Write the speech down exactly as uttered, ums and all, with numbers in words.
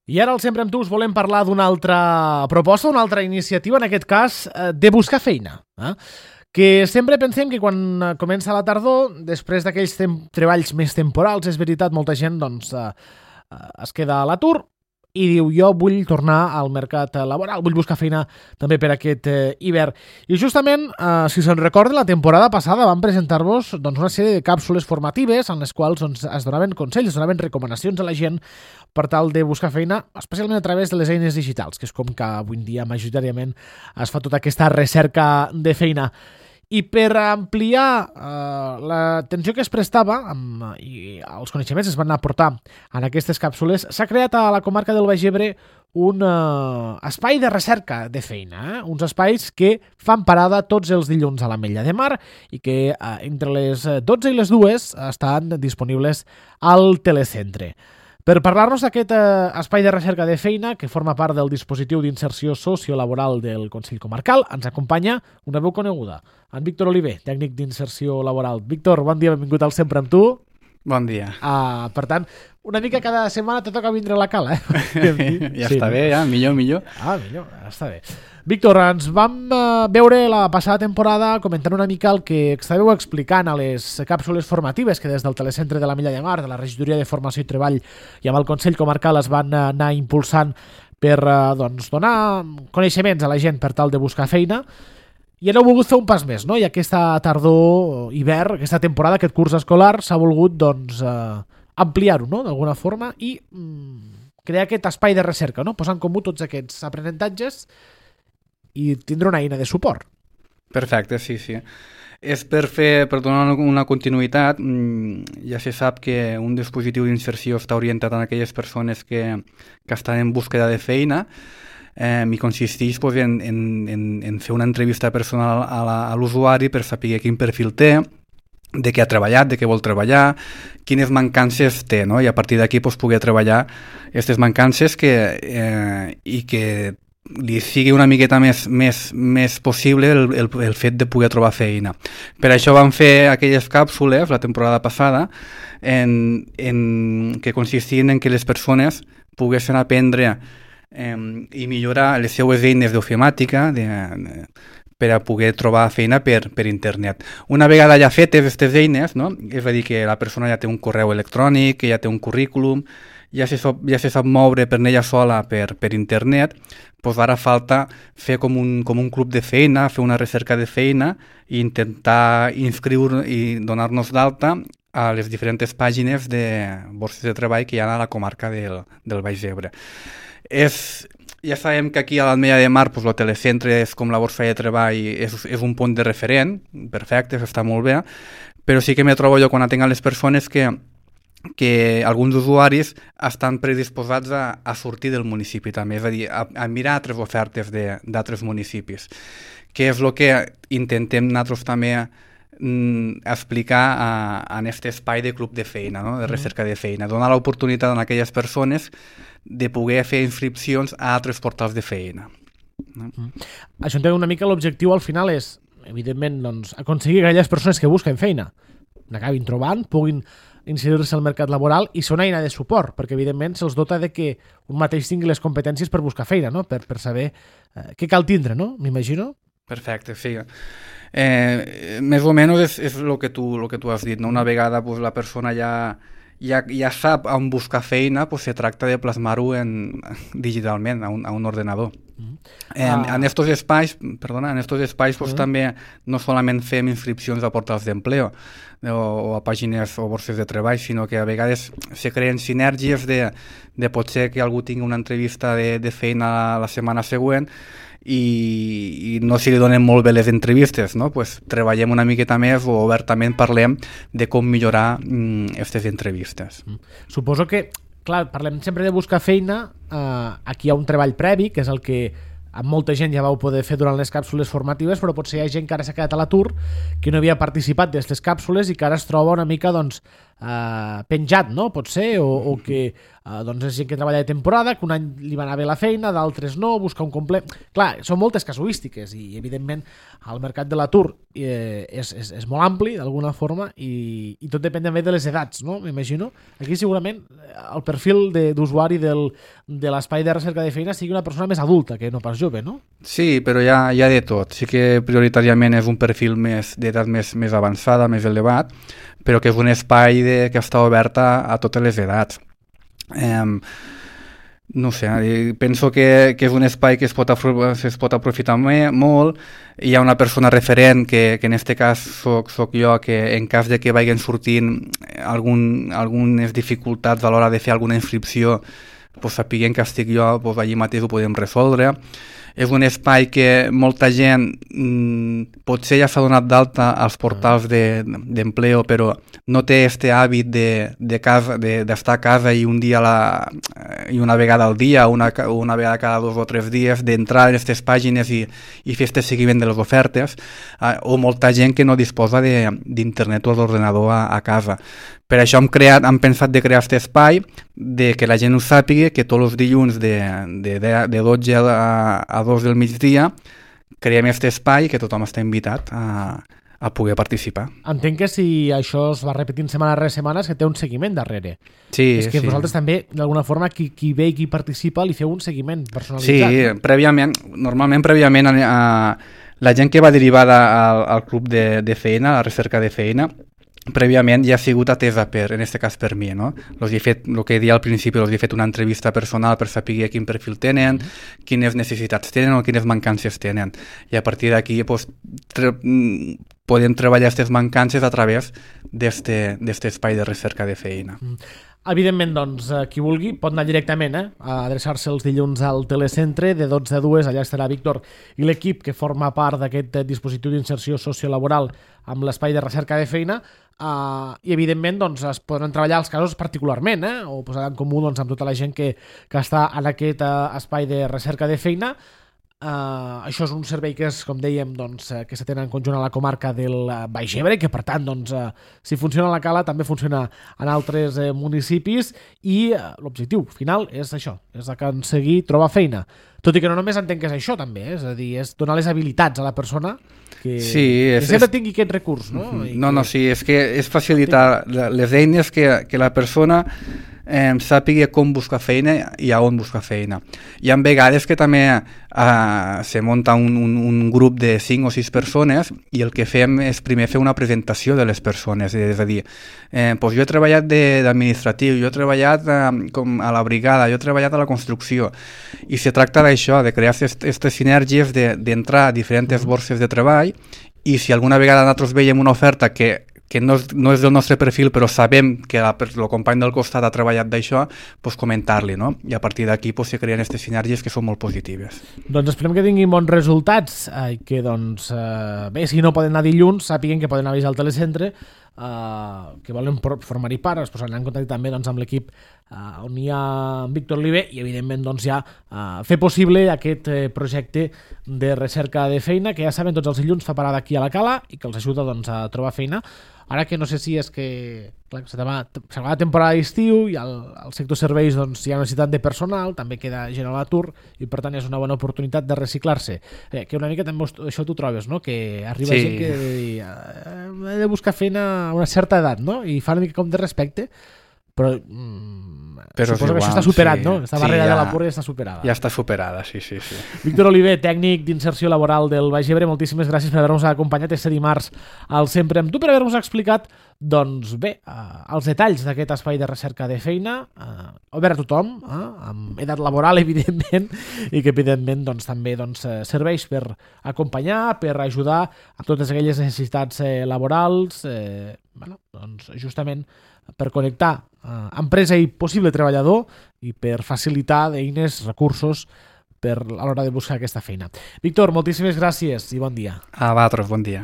I ara al Sempre amb tu us volem parlar d'una altra proposta, una altra iniciativa, en aquest cas, de buscar feina. Eh? Que sempre pensem que quan comença la tardor, després d'aquells treballs més temporals, és veritat, molta gent doncs, eh, es queda a l'atur i diu, jo vull tornar al mercat laboral, vull buscar feina també per aquest eh, hivern. I justament, eh, si se'n recorda, la temporada passada vam presentar-vos doncs, una sèrie de càpsules formatives en les quals doncs, es donaven consells, es donaven recomanacions a la gent per tal de buscar feina, especialment a través de les eines digitals, que és com que avui en dia majoritàriament es fa tota aquesta recerca de feina. I per ampliar eh, l'atenció que es prestava amb, i els coneixements es van aportar en aquestes càpsules, s'ha creat a la comarca del Baix Ebre un eh, espai de recerca de feina, eh? Uns espais que fan parada tots els dilluns a l'Ametlla de Mar i que eh, entre les dotze i les dues estan disponibles al telecentre. Per parlar-nos d'aquest eh, espai de recerca de feina que forma part del dispositiu d'inserció sociolaboral del Consell Comarcal, ens acompanya una veu coneguda, en Víctor Oliver, tècnic d'inserció laboral. Víctor, bon dia, benvingut al Sempre amb tu. Bon dia. Uh, per tant, una mica cada setmana te toca vindre a la cala, eh? ja sí, està bé, ja, millor, millor. Ah, millor, està bé. Víctor, ens vam uh, veure la passada temporada comentant una mica el que estàveu explicant a les càpsules formatives que des del Telecentre de l'Ametlla de Mar, de la Regidoria de Formació i Treball i amb el Consell Comarcal es van uh, anar impulsant per uh, doncs, donar coneixements a la gent per tal de buscar feina. I ara heu volgut fer un pas més, no? I aquesta tardor, hivern, aquesta temporada, aquest curs escolar, s'ha volgut doncs, eh, ampliar-ho, no?, d'alguna forma, i mm, crear aquest espai de recerca, no?, posar en comú tots aquests aprenentatges i tindre una eina de suport. Perfecte, sí, sí. És per fer, per donar una continuïtat, ja se sap que un dispositiu d'inserció està orientat a aquelles persones que, que estan en búsqueda de feina, Eh, i consisteix pues, en, en, en, en fer una entrevista personal a, la, a l'usuari per saber quin perfil té, de què ha treballat, de què vol treballar, quines mancances té, no? I a partir d'aquí pues, poder treballar aquestes mancances que, eh, i que li sigui una miqueta més, més, més possible el, el, el fet de poder trobar feina. Per això vam fer aquelles càpsules la temporada passada en, en, que consistien en que les persones poguessin aprendre Eh, i millorar les seues eines d'ofimàtica de, de, per a poder trobar feina per, per internet. Una vegada ja fetes aquestes eines, no? És a dir, que la persona ja té un correu electrònic, que ja té un currículum, ja se, ja se sap moure per ella sola per, per internet, doncs ara falta fer com un, com un club de feina, fer una recerca de feina i intentar inscriure i donar-nos d'alta a les diferents pàgines de borses de treball que hi ha a la comarca del, del Baix Ebre. És, ja sabem que aquí a l'Ametlla de Mar pues, el telecentre és com la borsa de treball, és, és un punt de referent, perfecte, està molt bé, però sí que me trobo jo quan atenc a les persones que, que alguns usuaris estan predisposats a, a sortir del municipi també, és a dir, a, a mirar altres ofertes d'altres municipis, que és el que intentem nosaltres també mm, explicar a, a aquest espai de club de feina, no? De recerca de feina, donar l'oportunitat a aquelles persones de poder fer inscripcions a altres portals de feina. No? Mm. Això entenc una mica l'objectiu al final és, evidentment, doncs, aconseguir que aquelles persones que busquen feina n'acabin trobant, puguin incidir-se al mercat laboral i ser una eina de suport, perquè evidentment se'ls dota de que un mateix tingui les competències per buscar feina, no? per, per saber eh, què cal tindre, no? M'imagino. Perfecte, sí. Eh, més o menys és, és el que tu, lo que tu has dit, no? Una vegada pues, la persona ja Ja, ja sap on buscar feina, pues se tracta de plasmar-ho en, digitalment a un, a un ordenador. Mm. En, ah. en estos espais, perdona, en estos espais pues, mm. també no solament fem inscripcions a portals d'empleo o, o a pàgines o borses de treball, sinó que a vegades se creen sinergies de, de potser que algú tingui una entrevista de, de feina la setmana següent i, i no si li donen molt bé les entrevistes, no? Pues treballem una miqueta més o obertament parlem de com millorar aquestes mm, entrevistes. Mm. Suposo que, clar, parlem sempre de buscar feina, eh, aquí hi ha un treball previ, que és el que amb molta gent ja vau poder fer durant les càpsules formatives, però potser hi ha gent que ara s'ha quedat a l'atur, que no havia participat d'aquestes càpsules i que ara es troba una mica doncs, eh, penjat, no? Pot ser, o, o que eh, doncs és gent que treballa de temporada, que un any li va anar bé la feina, d'altres no, buscar un complet... Clar, són moltes casuístiques i, evidentment, el mercat de l'atur eh, és, és, és molt ampli, d'alguna forma, i, i tot depèn també de les edats, no? M'imagino. Aquí, segurament, el perfil de, d'usuari del, de l'espai de recerca de feina sigui una persona més adulta que no pas jove, no? Sí, però hi ha, hi ha de tot. Sí que prioritàriament és un perfil més d'edat més, més avançada, més elevat, però que és un espai de, que està obert a, a totes les edats. Eh, no sé, penso que, que és un espai que es pot, es pot aprofitar me, molt. Hi ha una persona referent, que, que en aquest cas soc, soc jo, que en cas de que vagin sortint algun, algunes dificultats a l'hora de fer alguna inscripció, pues, sapiguem que estic jo, pues, allí mateix ho podem resoldre. És un espai que molta gent mmm, potser ja s'ha donat d'alta als portals de, d'empleo, però no té este hàbit de, de casa, de, d'estar a casa i un dia la, i una vegada al dia, una, una vegada cada dos o tres dies, d'entrar en aquestes pàgines i, i fer este seguiment de les ofertes, eh, o molta gent que no disposa de, d'internet o d'ordenador a, a casa. Per això hem, creat, hem pensat de crear aquest espai, de que la gent ho sàpiga, que tots els dilluns de, de, de dotze a, a dos del migdia creem aquest espai que tothom està invitat a, a poder participar. Entenc que si això es va repetint setmana rere setmana és que té un seguiment darrere. Sí, és que sí. vosaltres també, d'alguna forma, qui, qui ve i qui participa li feu un seguiment personalitzat. Sí, prèviament, normalment prèviament a, a, la gent que va derivada al, al club de, de feina, a la recerca de feina, prèviament ja ha sigut atesa per, en aquest cas per mi, no? Los he fet, el que deia al principi, els he fet una entrevista personal per saber quin perfil tenen, quines necessitats tenen o quines mancances tenen. I a partir d'aquí pues, tre podem treballar aquestes mancances a través d'aquest espai de recerca de feina. Mm. Evidentment, doncs, qui vulgui pot anar directament eh, a adreçar-se els dilluns al telecentre de dotze a dues, allà estarà Víctor i l'equip que forma part d'aquest dispositiu d'inserció sociolaboral amb l'espai de recerca de feina, eh, i evidentment doncs, es poden treballar els casos particularment, eh, o posar en comú doncs, amb tota la gent que, que està en aquest eh, espai de recerca de feina. Uh, això és un servei que és, com dèiem, doncs, uh, que s'atén en conjunt a la comarca del uh, Baix Ebre, que per tant, doncs, uh, si funciona a la Cala també funciona en altres uh, municipis, i uh, l'objectiu final és això, és aconseguir trobar feina. Tot i que no només entenc que és això també, eh? És a dir, és donar les habilitats a la persona que, sí, és, que sempre és... tingui aquest recurs, no? I no, que... no, sí, és que és facilitar les eines que, que la persona eh, sàpiga com buscar feina i a on buscar feina. Hi ha vegades que també eh, se munta un, un, un grup de cinc o sis persones i el que fem és primer fer una presentació de les persones, és a dir, eh, doncs jo he treballat d'administratiu, jo he treballat eh, com a la brigada, jo he treballat a la construcció, i se tracta d'això, de crear aquestes sinergies, d'entrar a diferents borses de treball, i si alguna vegada nosaltres veiem una oferta que que no és, no és del nostre perfil, però sabem que la, el company del costat ha treballat d'això, doncs comentar-li, no? I a partir d'aquí doncs, se creen aquestes sinergies que són molt positives. Doncs esperem que tinguin bons resultats, i eh, que, doncs, eh, bé, si no poden anar dilluns, sàpiguen que poden avisar al telecentre, eh, que volen formar-hi part, es posaran en contacte també doncs, amb l'equip eh, on hi ha Víctor Oliver, i evidentment doncs, ja eh, fer possible aquest eh, projecte de recerca de feina, que ja saben, tots els dilluns fa parada aquí a la Cala i que els ajuda doncs, a trobar feina. Ara que no sé si és que clar, s'acaba la temporada d'estiu i al, al sector serveis doncs, hi ha necessitat de personal, també queda gent a l'atur i per tant és una bona oportunitat de reciclar-se. Eh, que una mica també això tu trobes, no? Que arriba sí. gent que eh, he de buscar feina a una certa edat, no? I fa una mica com de respecte, però, mm, però suposo igual, que això està superat, sí. No? Aquesta barrera sí, ja, de la pura ja està superada. Ja està superada, sí, sí, sí. Víctor Oliver, tècnic d'inserció laboral del Baix Ebre, moltíssimes gràcies per haver-nos acompanyat este dimarts al Sempre amb tu, per haver-nos explicat, doncs bé, eh, els detalls d'aquest espai de recerca de feina, eh, obert a tothom, eh, amb edat laboral, evidentment, i que, evidentment, doncs, també doncs, serveix per acompanyar, per ajudar a totes aquelles necessitats eh, laborals, eh, bueno, doncs, justament per connectar eh, empresa i possible treballador i per facilitar eines, recursos per a l'hora de buscar aquesta feina. Víctor, moltíssimes gràcies i bon dia. A vosaltres, bon dia.